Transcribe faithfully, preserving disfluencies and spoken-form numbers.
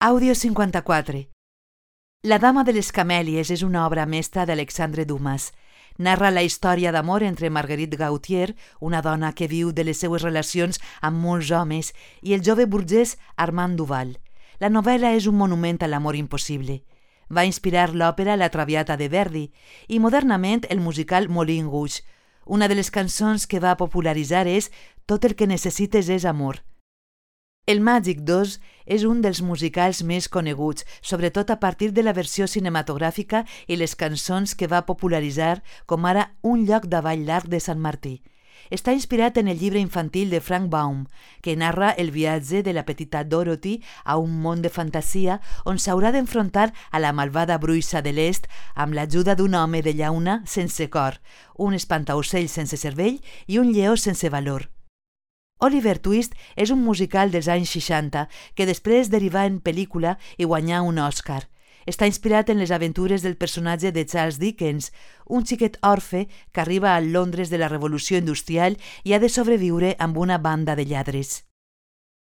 Àudio cinquanta-quatre. La dama de les camèlies és una obra mestra d'Alexandre Dumas. Narra la història d'amor entre Marguerite Gautier, una dona que viu de les seues relacions amb molts homes, i el jove burgès Armand Duval. La novel·la és un monument a l'amor impossible. Va inspirar l'òpera La Traviata de Verdi i modernament el musical Moulin Rouge. Una de les cançons que va popularitzar és Tot el que necessites és amor. El Màgic dos és un dels musicals més coneguts, sobretot a partir de la versió cinematogràfica i les cançons que va popularitzar, com ara Un lloc de ball llarg de Sant Martí. Està inspirat en el llibre infantil de Frank Baum, que narra el viatge de la petita Dorothy a un món de fantasia on s'haurà d'enfrontar a la malvada bruixa de l'est amb l'ajuda d'un home de llauna sense cor, un espantaocells sense cervell i un lleó sense valor. Oliver Twist és un musical dels anys seixanta que després derivà en pel·lícula i guanyà un Oscar. Està inspirat en les aventures del personatge de Charles Dickens, un xiquet orfe que arriba a Londres de la Revolució Industrial i ha de sobreviure amb una banda de lladres.